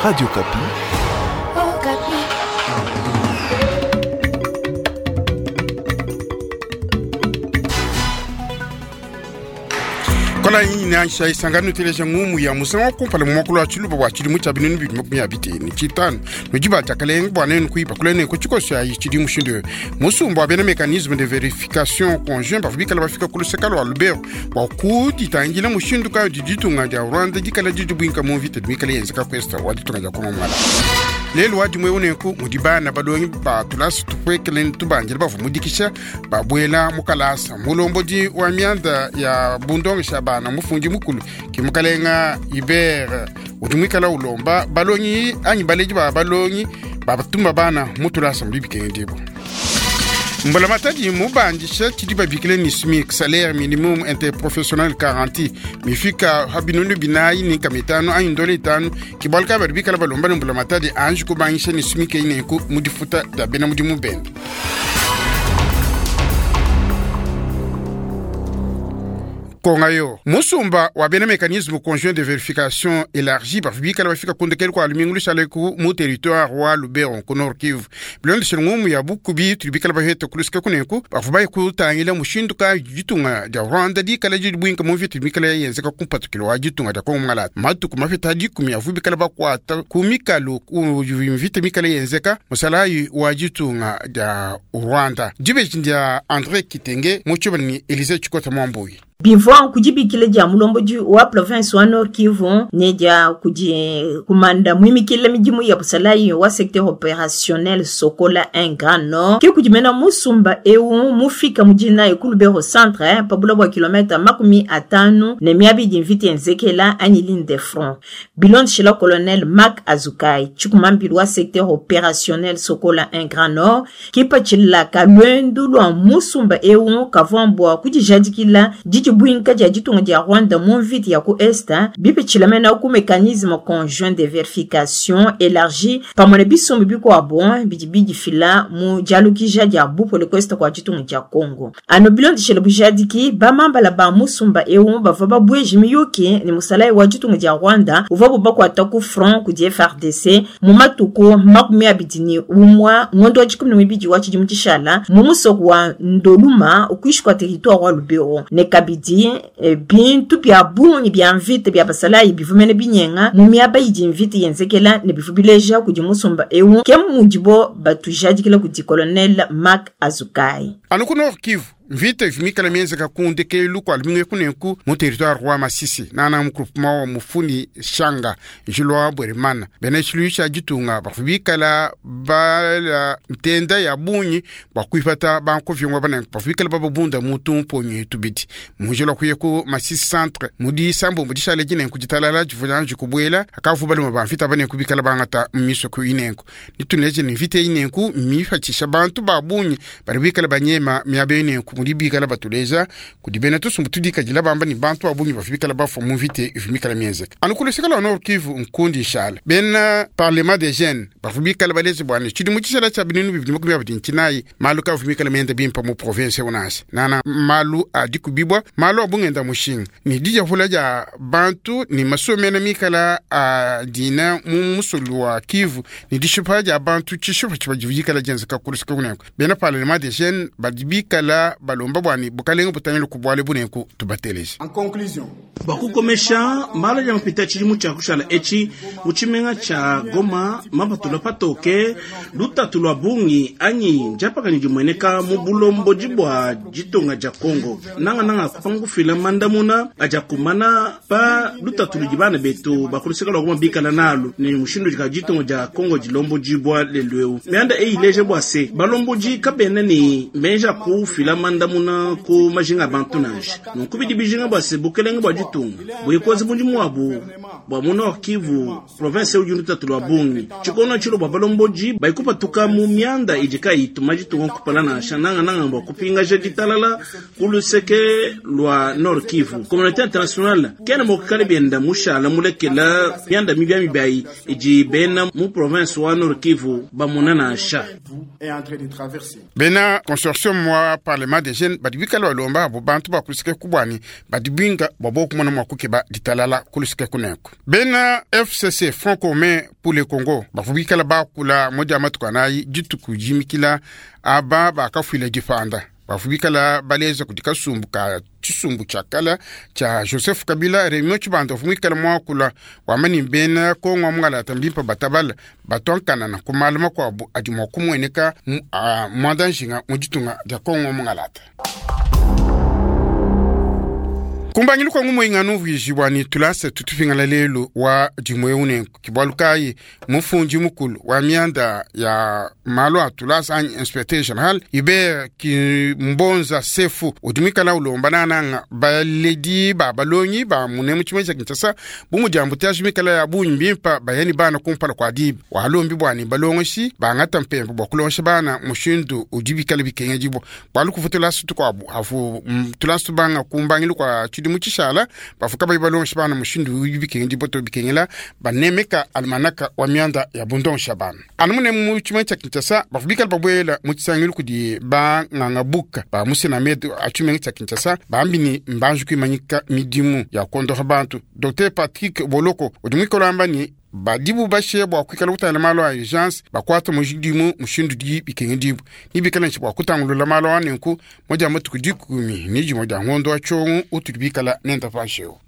Radio Okapi. Okapi. Kola nansha isangano teleja ngumu ya musangu wa kumpala mu muakulu wa tshiluba bua tshidimu tshia binunu bibidi makumi abidi ne tshitanu nudi ba diakalenga bua nenu kuiba kula ne ku tshikoso ayi tshidi mushindu eu musumba wa bena mécanisme de vérification conjoint bavua bikala bafika ku luseka lua lubero bua kuditangila mushindu kayi udi ditunga dia rwanda dikala didibuinka mu mvita dimikala yenzeka ku est wa ditunga dia kongo mwala lelu wa dimue unenku mudi bana balongi ba tulasa tupuekele ne tubandile bavua mudikisha babuela mu kalasa. Mulombodi wa mianda ya bundongesha bana mufundi mukulu ke mukalenga Hubert udi muikala ulomba balongi anyi baledi ba balongi babatuma bana mu tulasa mudi bikengedibua. Mbulamatadi mubandisha tshidi babikile ni SMIC, salaire minimum interprofessionnel garanti, mifika ha binunu binayi ne nkama itanu anyi ndola itanu. Ke bualu kayi badi bikala balomba ne mbulamatadi anji kubangisha ne SMIC eyi nenku mu difuta dia bena mudimu bende. Konga yo musumba wa bena mécanisme conjoint de vérification élargie bavua bikala bafika ku ndekelu kua lumingu lushale ku mu territoire wa Lubero ku Nord Kivu. Bilondeshile ngumu ya bukubi tudi bikala bapete ku luseke kunenku, bavua baye kutangila mushindu kayi ditunga dia Rwanda dikala didibuinka mu mvita mikala yenzeka ku mpatukilo wa ditunga dia Kongo Mungalata. Matuku mapita dikumi avua bikala bakuata ku mikalu ku mvita mikala yenzeka musalayi wa ditunga dia Rwanda. Dibeji dia Andre Kitenge mu tshibala ne Elise Tshikota Mwambuyi. Bivua ku dibikila dia mulombodi wa province wa Nord Kivu ne dia kudi kumanda muimikila midimu ya busalayi wa secteur opérationnel Sokola 1 Grand Nord ke kudi mena musumba eu mufika mu dinayi ku Lubero centre pa bula bua kilomètre 50 ne miaba idi mvita yenzekela anyi ligne de front. Bilondeshila colonel Marc Azukai tshikumambilu wa secteur opérationnel Sokola 1 Grand Nord kipatshila ka luendu lua musumba eu kavua mbua kudijadikila didibuinka dia ditunga dia Rwanda mu mvita ya ku Est bipitshila mena ku mécanisme conjoint de vérification élargi pamue ne bisumbu bikuabu bidi bidifila mu dialukija dia bupole ku Est kua ditunga dia Congo. Anu bilondeshile bujadiki bamambala ba musumba eu bavua babueje miyuki ne musalayi wa ditunga dia Rwanda uvuabu bakuata ku front kudi FARDC mu matuku 21 ngondo wa dikumi ne muibidi wa tshidimu tshishala mu musoko wa Ndoluma ukuishi kua territoire wa Lubero ne kabidi bintu bia bungi bia mvita bia basalayi bivumene binyenga mu miaba idi mvita yenzekela ne bivua bileja kudi musumba eu ke mudibo batujadikila kudi colonel Marc Azukai. Anu ku Nord Kivu mvita ivua mikala mienzeka ku ndekelu kua lumingu eku nenku mu territoire wa Masisi nana mu groupement wa Mufuni Shanga njila wa Bweremana. Bena tshiluilu tshia ditunga bavua bikala bala ntenda ya bungi bua kuipata bankoviongwa banenku bavua bikala bababunda mu tumponyi tubidi mu njila wa kuya ku Masisi centre mu disambombo dishale dinenku ditalala divua dianji kubuela akavua baluma ba mvita banenku bikala bangata mu misoko inenku. Nituleje ne mvita inenku mipatshisha bantu ba bungi badi bikala banyema miaba inenku mudi bikala batuleja kudi bena tusumbu tudikadila bamba ne bantu ba bungi bavua bikala bafua mu mvita ivua mikala mienzeka. Anu ku luseke lua Nord Kivu nkundi nshala bena parlement des jeunes bavua bikala baleje bua ne tshidimu tshishala tshia binunu bibidi makumi abidi ne tshinayi malu kavua mikala mienda bimpa mu province eu nansha nana malu a dikubibua malu a bungenda mushinga ne dijavula dia bantu ne masomena mikala a dina mu musulu wa Kivu ne dishipa dia bantu tshishipa tshiba dikala dienzeka ku luseke kunenku. Bena parlement des jeunes badi bikala balomba bua ne bukalenga butangile ku bualu bunenku tubateleje. En conclusion, bua kukomesha malu adi mapita tshidimu tshia kushala etshi mu tshimenga tshia Goma mapatula patoke lutatu lua bungi anyi ndiapakane dimueneka mu bulombodi bua ditunga dia Congo nangananga kupanga kufila mandamuna adi akumana pa lutatu ludi bana betu ba ku luseke lua Goma bikala nalu ne mushindu udi ditunga dia Congo dilombodibua lelu eu. Mianda eyi ileja bua se balombodi kabena ne meji a kufila mandamuna ku majinga a bantu nansha. Nunku bidi bijinga bua se bukelenge bua ditunga buikoze mudimu wabu bua mu Nord Kivu province udi lutatu lua bungi tshikono tshilo bua balombodi baikupatuka mu mianda idi kayituma ditunga kupala nansha nangananga bua kupingaja ditalala ku luseke lua Nord Kivu. Communauté internationale kena mua kukala bienda mushala mulekela mianda mibia mibiayi idi bena mu province wa Nord Kivu bamona nansha. est en train de traverser. Bena consortium Consortium wa Parlement des Jeunes badi bikale balomba abo bantu ba kuluseke ku bwani badi binga bwa bo kumona mwa kukeba ditalala kuluseke kunenku. Bena FCC Front Commun pour le Congo bavua bikala bakula mu dia matuku anayi dituku jimikila aba bakafuila dipanda bavua bikala baleza kudi kasumbu ka tshisumbu tshia kala tshia Joseph Kabila Raymond Tshibanda uvua muikale muakula wamba ne bena Kongo wa mungalata mbimpe batabala batonkanana ku malu makuabu adi mua kumueneka muanda njinga mu ditunga dia Kongo wa mungalata. Kumbangilu kwa ngumu inganu vijibwa ni tulasa tutupingala lelu wa dimwe unenku kibwalu kayi mufundi mukulu wa mianda ya malu a tulasa anyi inspecteur general Hubert Kimbonza Sefu udimikala ulomba nananga baledi ba balongi ba mune mu tshimwe tshia Kinshasa bu mudi embouteillage mikala ya bungi mbimpa bayani bana kumpala kwa diba walombi bwani balongoshi bangata mpembe bwa kulongesha bana mushindu udi bikala bikengedibwa bwalu kuvu tulasa tukuabu avu tulasa tubanga kumbangilu kwa tshidimu tshishala bafuka bayi balongesha bana mushindu udi bikengedibwa to bikengela banemeka almanaka wa mianda ya bundongesha bana anu mune mu tshimwe tshia Kinshasa bafu bikala babwela mu tshisangilu kudi banganga buka ba musena medu a tshimenga tshia Kinshasa bambi ni mbanji kuimanyika midimu ya kondoha bantu. Dr Patrick Boloko udi muikala wamba ni badibu bashe bua kuikala kutangila malu a urgence bakuata mudimu mushindu di bikengedibwa ni bikala nshi bua kutangulula malu a nenku moja matuku dikumi ni dimue dia ngondo wa tshiongo utudi bikala nenda panshi eu.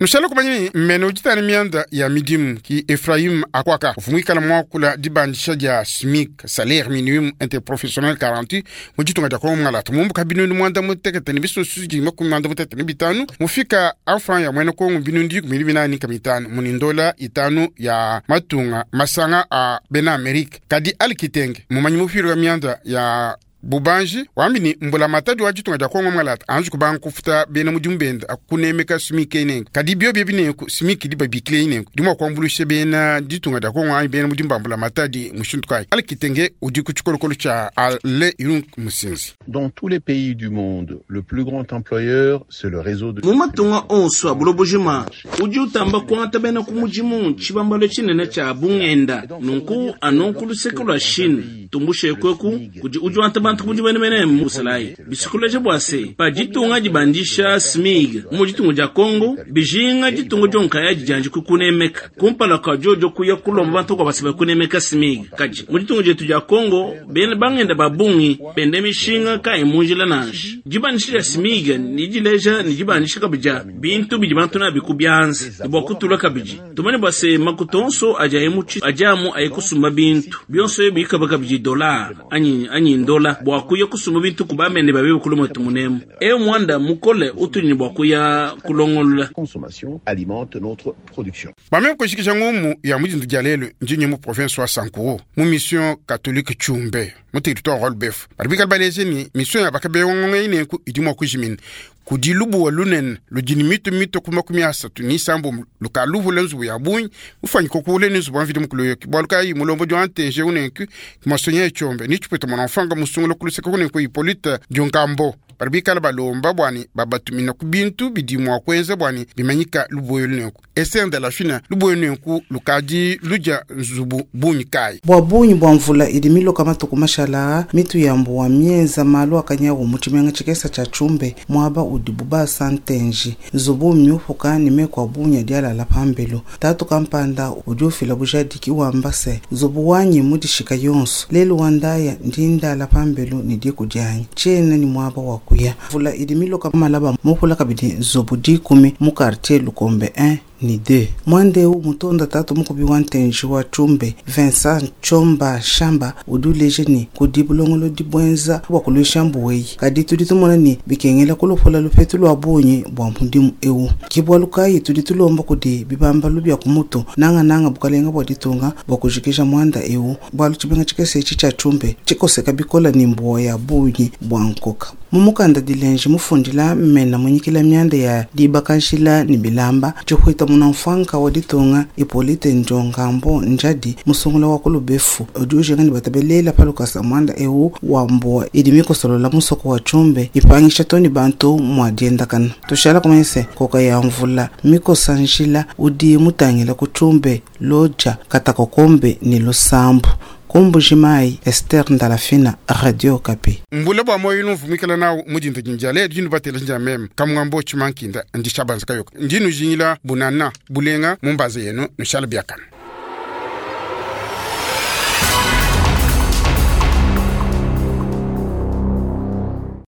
Nushala kumanya ni mmene ujitana mianda ya midimu ki Ephraim Akwaka uvua muakula dibandisha dia SMIC salaire minimum interprofessionnel garanti mu ditunga dia Kongo Mungalata mumbuka binunu mwanda mutekete ni bisusu dima kumi mwanda mutekete ni bitanu mufika afran ya mwene Kongo binunu dikumi binani kama itanu munindola itanu ya matunga masanga a bena Amerika kadi alikitenge mumanyi mufiro ya mianda ya bubanji wambi ni mbula matadi wa ditunga dia Kongo Mungalata anji kubanga kufuta bena mudimu benda akunemeka SMIC inengo kadi bio bie binengo SMIC di babikile inengo dimwa kuambulusha bena ditunga dia Kongo anyi bena mudimu ba mbula matadi mushindu kayi alikitenge udi ku tshikolokolo tshia Ale Irunk Musinzi. Dans tous les pays du monde, le plus grand employeur, c'est le réseau de Mu matunga onso a bulobojima udi utamba kuangata bena ku mudimu tshibambalo tshinene tshia bungenda nunku anu ku luseke lua Chine tumbushe kweku kudi udi wanta bantu ku mudimu mene musalayi bisikuleje bua se pa ditunga dibandisha SMIG mu ditunga dia Kongo bijinga ditunga dionkaya didianji kukunemeka kumpala kwa diodio kuya kulomba bantu kwa basiba kunemeka SMIG kadi mu ditunga dietu dia Kongo bena bangenda babungi bende mishinga kayi munjila nansha dibandisha dia SMIG ni dileja ni dibandisha kabidi bintu bidi bantu nabi ku byanza ni bua kutula kabidi tumane bua se makuta onso adi aye mu tshi- adi amu aye kusumba bintu bionso bikaba kabidi dollar anyi anyi ndola bua kuya kusumba bintu ku bamene babe kuluma tumunemu e mwanda mukole utuni bua kuya kulongolola. Consommation alimente notre production. Bameme kushikisha ngumu ya mudindu dia lelu njinyi mu province wa Sankuru mu mission catholique Tshumbe mu territoire wa Lubefu badi bikala baleje ni mission ya bakabeyongonga inenku idi mua kujimina kudi lubuwa lunene ludi ni mitu mitu ku makumi asatu ni isambu lukaluvula nzubu ya bungi mufanyika kuule ni nzubu wa mvidi mukulu yoki bualu kayi mulombo dia ntenje unenku kimasonya ya Tshombe ni tshipeta mwana mfanga musungula kuluseka kunenku Hippolyte Dionkambo badi bikala balomba bwani babatumina ku bintu bidi mua kuenza bwani bimanyika lubuwa lunenku Esther de la Fina lubuwa lunenku lukadi ludia nzubu bungi kayi. Bua bungi bua mvula idi miloka matuku mashala mitu ya mbuwa mienza malu akanyawu mu tshimenga tshikesa tshia Tshumbe muaba udibu basa ntenji nzubu miupuka ni mekua bunya dialala pambelu tatu kampanda udi ufila bujadiki wamba se nzubu wanyi mudishika yonso lelu wandaya ndi ndala pambelu ni diku dianyi tshiena ni muaba wa kuya mvula idi miloka malaba mupula kabidi nzubu dikumi mu quartier Lukombe 1 ni 2 mwandeu mutonda tatu mukubi wa ntenji wa Tshumbe Vincent Chomba Shamba udi uleje ni kudi bulongolodi dibwenza bua kuluisha mbuweyi kadi tudi tumona ni bikengela kulupula lupetu lua bungi bua mudimu ewu kibwalu kayi tudi tulomba kudi bibambalu bia kumutu nangananga bukalenga bua ditunga bua kujikija mwanda ewu bualu tshimenga tshikese etshi tshia Tshumbe tshikoseka bikola ni mbuwa ya bungi bua nkoka mumukanda dilenje mufundila mmena munyikila mianda ya dibakanshila ni bilamba tshihwita muna mfanka wa ditunga Hippolyte Njongambo Njadi musungula wa kulubefu udi ujinga ni batabelela palukasa mwanda ewu wa mbuwa idi mikosolola musoko wa Tshumbe ipangisha toni bantu mwa diendakana tushala kumanyise koka ya mvula mikosa njila udi mutangila ku Tshumbe loja katakokombe ni lusambu. Ku Mbuji-Mayi, Esther Ndalafina, Radio Okapi. Mbula bua moyo numvumikila nawu mudinda dindia lelu dinu batela ndia meme kamwambo tshimankinda ndi shabanza kayoka ndi nujingila bunana bulenga mumbaza yenu nushala biakana.